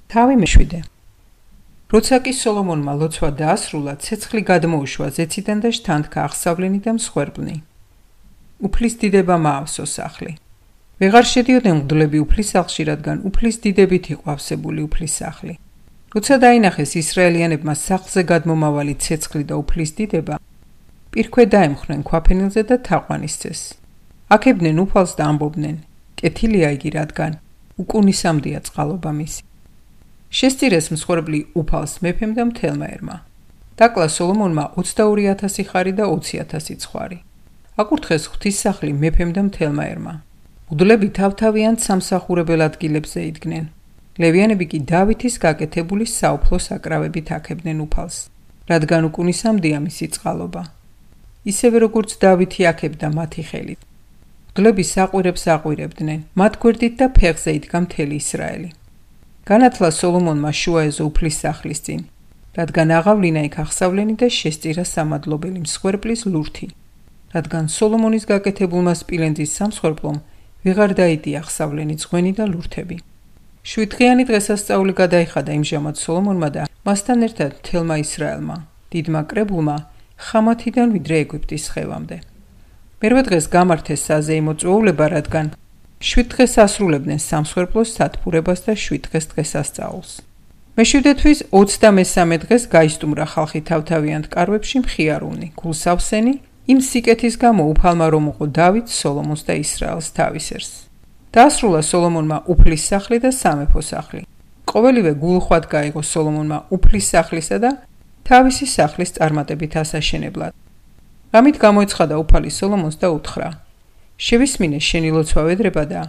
თავი მეშვიდე. როცა კი სოლომონმა ლოცვა დაასრულა, ცეცხლი გადმოუშვა ზეციდან და შთანთქა აღსავლენი და მსხვერპლნი. უფლის დიდება მაავსო სახლი. ვეღარ შედიოდნენ მღვდლები უფლის სახლში, რადგან უფლის დიდებით იყო ავსებული უფლის სახლი. როცა დაინახეს ისრაელიანებმა სახლზე გადმომავალი ცეცხლი და უფლის დიდება, პირქვე დაემხრნენ ქვაფენილზე და თაყვანისცეს. აქებდნენ უფალს და ამბობდნენ: კეთილია იგი, რადგან უკუნისამდეა წყალობა მისი. შესწირეს მსხვერპლი უფალს მეფემ და მთელმა ერმა. დაკლა სოლომონმა 22,000 ხარი და 20,000 ცხვარი. აკურთხეს ღვთისმსახლი მეფემ და მთელმა ერმა. მღვდლები თავთავიანთ სამსახურებელ ადგილებზე იდგნენ. ლევიანები კი დავითის გაკეთებული საუფლო საკრავებით აქებდნენ უფალს, რადგან უკუნისამდეა მისი წყალობა. ისევე როგორც დავითი აქებდა მათი ხელით. მღვდლები საყვირებს აყვირებდნენ, მათ გვერდით და ფეხზე იდგა მთელი ისრაელი. განათლა სოლომონმა შუა ეზო უფლის სახლის წინ, რადგან აღავლინა იქ აღსავლენი და შესწირა სამადლობელი მსხვერპლის ლურთი, რადგან სოლომონის გაკეთებულმა სპილენძის სამსხვერპლომ ვეღარ დაიდია აღსავლენი ძღვენი და ლურთები. 7 დღიანი დღესასწაული გადაიხადა იმჟამად სოლომონმა და მასთან ერთად მთელმა ისრაელმა, დიდმა კრებულმა, ხამათიდან ვიდრე ეგვიპტის ხევამდე. მერვე დღეს გამართეს საზეიმო წვეულება, რადგან 7 დღეს ასრულებდნენ სამსხვერპლოს სათბურებას და 7 დღეს დღესასწაულს. მე-7 თვის 23 დღეს გაისტუმრა ხალხი თავთავიანთ კარვებში მხიარულნი, გულსავსენი, იმ სიკეთის გამო უფალმა რომ უყო დავითს, სოლომონს და ისრაელს თავისერს. დაასრულა სოლომონმა უფლის სახლი და სამეფო სახლი. ყოველივე გულხვად გაიღო სოლომონმა უფლის სახლისა და თავისი სახლის წარმატებით ასაშენებლად. რამით გამოეცხადა უფალი სოლომონს და უთხრა: შევისმინე შენი ლოცვა ვედრება და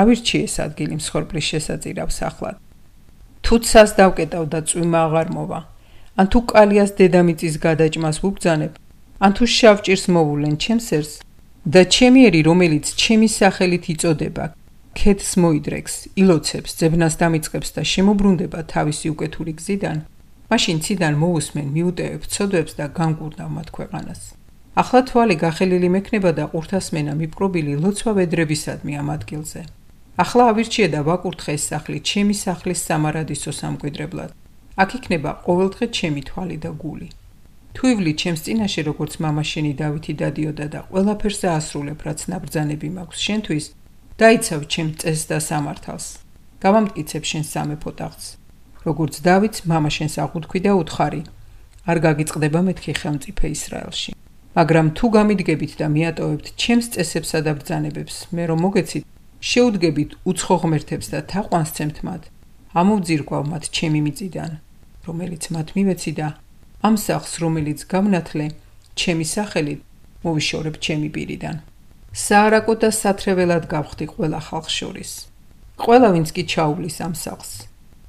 ავირჩიე ეს ადგილი მსხვერპლის შესაწირავ სახლად. თუ ცას დავკეტავ და წვიმა აღარ მოვა, ან თუ კალიას დედამიწის გადაჭმას ვუბძანებ, ან თუ შავ ჭირს მოვულენ ჩემს ერს და ჩემი ერი, რომელიც ჩემი სახელით იწოდება, ქედს მოიდრეკს, ილოცებს, ძებნას დამიწყებს და შემოbrunდება თავისი უკეთური გზიდან, მაშინ ციდან მოусმენ მიუტევებ ცოდვებს და განკურნავ მათ ქვეყანას. ახლა თვალი გახელილი მექნება და ყურთასმენა მიპყრობილი ლოცვა ვედრებისადმი ამ ადგილზე. ახლა ავირჩიე და ვაკურთხე ეს სახლი ჩემი სახლის სამარადისო სამკვიდრებლად. აქ იქნება ყოველდღე ჩემი თვალი და გული. თუ ივლი ჩემს წინაშე, როგორც მამა შენი დავითი დადიოდა და ყველაფერს აასრულებ, რაც ნაბრძანები მაქვს შენთვის, დაიცავ ჩემ წესს და სამართალს. გავამტკიცებ შენ სამეფო ტახტს. როგორც დავითს მამა შენს აღუთქვი და უთხარი: არ გაგიწყდება მეთქი ხელმწიფე ისრაელში. მაგრამ თუ გამიდგებით და მიატოვებთ ჩემს წესებსა და ბრძანებებს, მე რომ მოგეცით, შეუდგებით უცხო ღმერთებს და თაყვანსცემთ მათ, ამოვძირკვავ მათ ჩემი მიწიდან, რომელიც მათ მივეცი და ამ სახლს, რომელიც გავნათლე ჩემი სახელით, მოვიშორებ ჩემი პირიდან. საარაკო და სათრეველად გავხდი ყველა ხალხს შორის. ყველა ვინც კი ჩაუვლის ამ სახლს,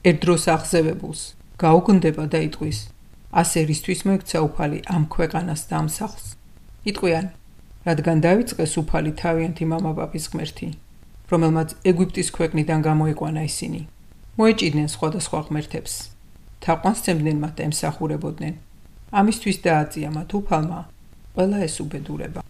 ერთ დროს აღზევებულს, გაუგნდება და იტყვის: ასე რისთვის მოექცა უფალი ამ ქვეყანას და ამ სახლს? იტყვიან, რადგან დავიწყეს უფალი თავიანთი მამა-პაპის ღმერთი, რომელმაც ეგვიპტის ქვეყნიდან გამოიყვანა ისინი. მოეჭიდნენ სხვადასხვა ღმერთებს, თაყვანსცემდნენ მათ და ემსახურებოდნენ. ამისთვის დააწია მათ უფალმა ყველა ეს უბედურება.